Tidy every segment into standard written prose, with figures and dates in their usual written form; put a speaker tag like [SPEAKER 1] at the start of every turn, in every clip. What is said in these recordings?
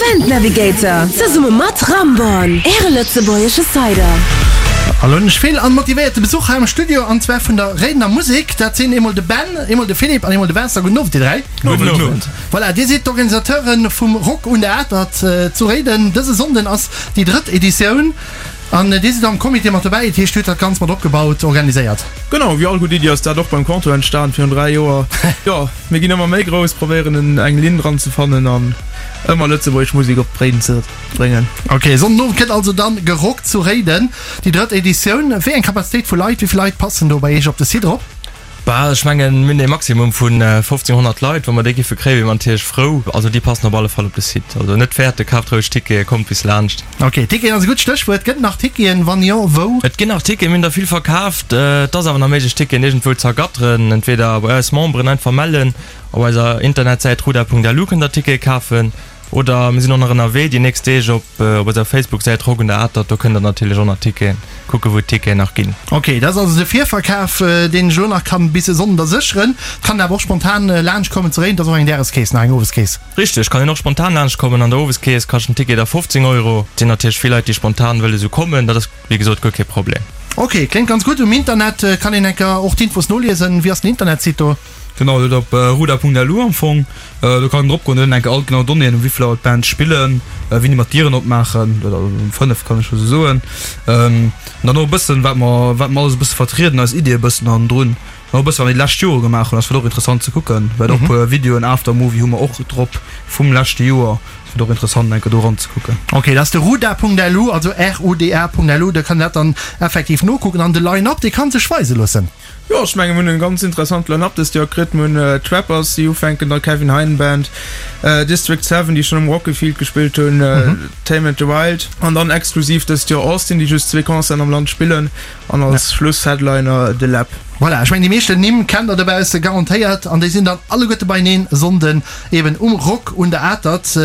[SPEAKER 1] Event Navigator zesumme mat Ramborn, Äre lëtzebuergesche Cider.
[SPEAKER 2] An elo hunn ech vill an motivéierte Besuch hei am Studio an zwar vun der Réidener Musek. Dat sinn eemol de Ben, eemol de Philippe an eemol de Vincent. Gudden Owend dir 3.
[SPEAKER 3] Gudden Owend.
[SPEAKER 2] Voilà, dir sidd d'Organisateure vum Rock un der Atert zu Réiden. Dëse Sonnden ass déi drëtt Editioun an dir sidd am Comité mat dobäi. Dat heescht, dir hutt dat Ganzt mat opgebaut, organiséiert.
[SPEAKER 3] Genau, wéi all gutt Iddi ass dat och beim Contour entstan virun 3 Joer. Jo, mir ginn ëmmer méi grouss, probéieren eng Linn dran ze fannen an ëmmer lëtzebuergesch Musek op Réiden ze bréngen.
[SPEAKER 2] Ok, Sonndenowend gëtt also dann gerockt zu Réiden, déi drëtt Editioun. Wéi eng Kapazitéit vu Leit, wéi vill Leit passen do bei Iech op de Site erop?
[SPEAKER 4] Bah, ech mengen, mir hunn ee Maximum vun 1.500 Leit. Wa mer déi giffe kréien, wier mer natierlech frou. Also déi passen op alle Fall op de Site. Also net fäerten, kaaft roueg Tickete, kommt bis laanscht.
[SPEAKER 2] Ok, Ticketen ass e gutt Stéchwuert. Gëtt et nach Ticketen? Wann jo, wou?
[SPEAKER 4] Et ginn nach Ticketen, mir hunn der vill verkaaft. Et ass awer nach méiglech, Ticketen iergendwou ze ergatteren. Entweder bei eis Memberen einfach mellen, op eiser Internetsäit ruda.lu kënnt der Tickete kafen. Oder mir sinn och nach ënnerwee déi nächst Deeg op op eiser Facebook-Säit Rock un der Atert. Do kënnt der natierlech och nach Ticketen kucken, wou d'Ticketen nach ginn.
[SPEAKER 2] Ok, dat ass also de Virverkaf, deen ech elo nach kann bis e Sonnden da sécheren. Et kann een awer och spontan laanscht kommen zu Réiden. Et ass och eng Dageskeess nach, eng Oweskeess.
[SPEAKER 4] Richteg, kann een och spontan laanscht kommen. An der Oweskeess kascht den Ticket da 15 Euro. Et sinn natierlech vill Leit, déi spontan wëlle sou kommen. Dat ass wéi gesot guer kee Problem.
[SPEAKER 2] Ok, kléngt ganz gutt. Um Internet kann een enker och d'Infos noliesen. Wéi ass den Internetsite do?
[SPEAKER 3] Genau, dat op ruda.lu am Fong. Do kann een drop goen, do hunn enke all genau Donnéeën, um wéivill Auer d'Bands spillen, wéini mer d'Dieren opmaachen, oder um 5 kann ech scho sou soen. An dann och e bëssen, wat mer, wat mer alles e bësse vertrieden, eis Iddie e bëssen hannendrun. An och e bësse wat mer déi lescht Jore gemaach hunn, ass vläicht och interessant ze kucken, well och e puer Videoen, Aftermovie hu mer och drop vum leschte Joer. Ass vläicht och interessant enke do eranzekucken.
[SPEAKER 2] Ok, dat ass de ruda.lu, also R-U-D-A.lu, do kann een dat dann effektiv nokucken. An de Line-Up, dee ka sech weise loossen.
[SPEAKER 3] Jo, ech mengen mir hunn en ganz interessant Line-Up dëst Joer kritt. Mir hunn d'Trappers déi ufänken, da Kevin Hein Band, District 7 déi schonn um Rockefield gespillt hunn, Tame and the Wild an dann exklusiv dëst Joer Austin déi just zwee Concerten am Land spillen an als Schluss-Headliner De Läb.
[SPEAKER 2] Voilà, ech mengen déi meeschten Nimm kennt der dobausse garantéiert an déi sinn dann alleguerte beieneen e Sonnden eben um Rock un der Atert.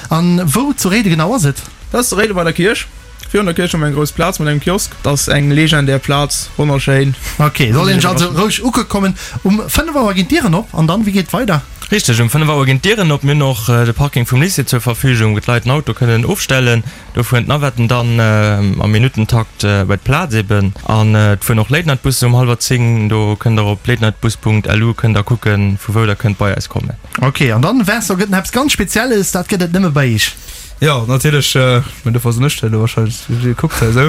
[SPEAKER 2] An wou zu Réiden genau ass et?
[SPEAKER 3] Dat ass zu Réiden bei der Kierch. Virun der Kierch hu mer eng grouss Plaz mat engem Kiosk. Dat ass eng legendär Plaz, wonnerschéin.
[SPEAKER 2] Ok, soll een sech also roueg ukucke kommen. Um 5 Auer ginn d'Dieren op an dann, wéi geet et weider?
[SPEAKER 4] Richteg, um 5 Auer ginn d'Dieren op. Mir hunn och de Parking vum Lycée zur Verfügung, wou d'Leit den Auto kënnen ofstellen. Do fueren d'Navetten dann am Minuttentakt bei d'Plaz eben. An et fueren och Late-Night-Bussen um hallwer 10. Do kënnt der op latenightbus.lu kënnt der kucken, vu wou der kënnt bei eis kommen.
[SPEAKER 2] Ok, an dann, Vincent, gëtt nach eppes ganz Spezielles, dat gëtt et nëmme bei iech.
[SPEAKER 3] Jo, natierlech, mä dofir ass en ech elo wahrscheinlech gekuckt hei esou.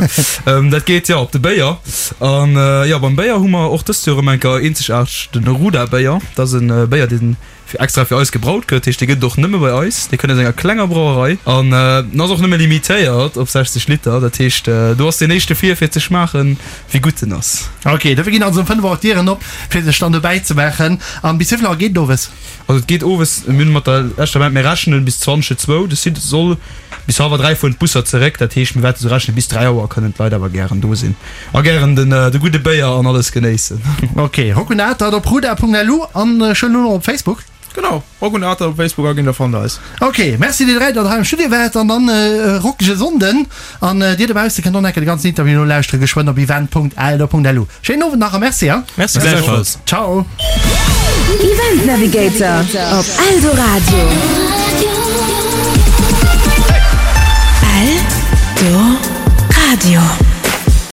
[SPEAKER 3] Dat geet jo op de Béier. An jo, beim Béier hu mer och dëst Joer erëm eng Kéier eenzegaarteg den Ruda Béier. Dat ass e Béier, dee fir extra fir eis gebraut gëtt. Dat heescht, dee gëtt et och nëmme bei eis. Dee kënnt aus enger klenger Brauerei an en ass och nëmme limitéiert op 60 Liter. Dat heescht, do ass deen éischte vir, fir ze schmaachen, wéi gutt en ass.
[SPEAKER 2] Ok, dofir ginn also um 5 Auer d'Dieren op, fir sech dann dobäi ze maachen. An bis wéi vill Auer geet et owes?
[SPEAKER 3] Also et geet owes, mir hunn mat der leschter Band, mir rechnen bis 20 zwou, de Site soll bis hallwer 3 fueren d'Busser zeréck, dat heescht mir wäerte sou rechnen bis 3 Auer kënnen d'Leit awer gären do sinn a gären den de gudde Béier an alles genéissen.
[SPEAKER 2] Ok, Rockunatert op ruda.lu an ech hunn elo nach op Facebook.
[SPEAKER 3] Genau, Rockunatert op Facebook aginn, da fannt der eis.
[SPEAKER 2] Ok, merci dir 3 datt der hei am Studio waart an dann e rockege Sonnden an dir dobausse kënnt och nach eng Kéier de ganzen Interview nolauschteren geschwënn op event.eldo.lu. Schéinen Owend nach a merci
[SPEAKER 4] hein. Merci gläichfalls.
[SPEAKER 2] Ciao.
[SPEAKER 1] Event Navigator op Eldoradio. Eldoradio.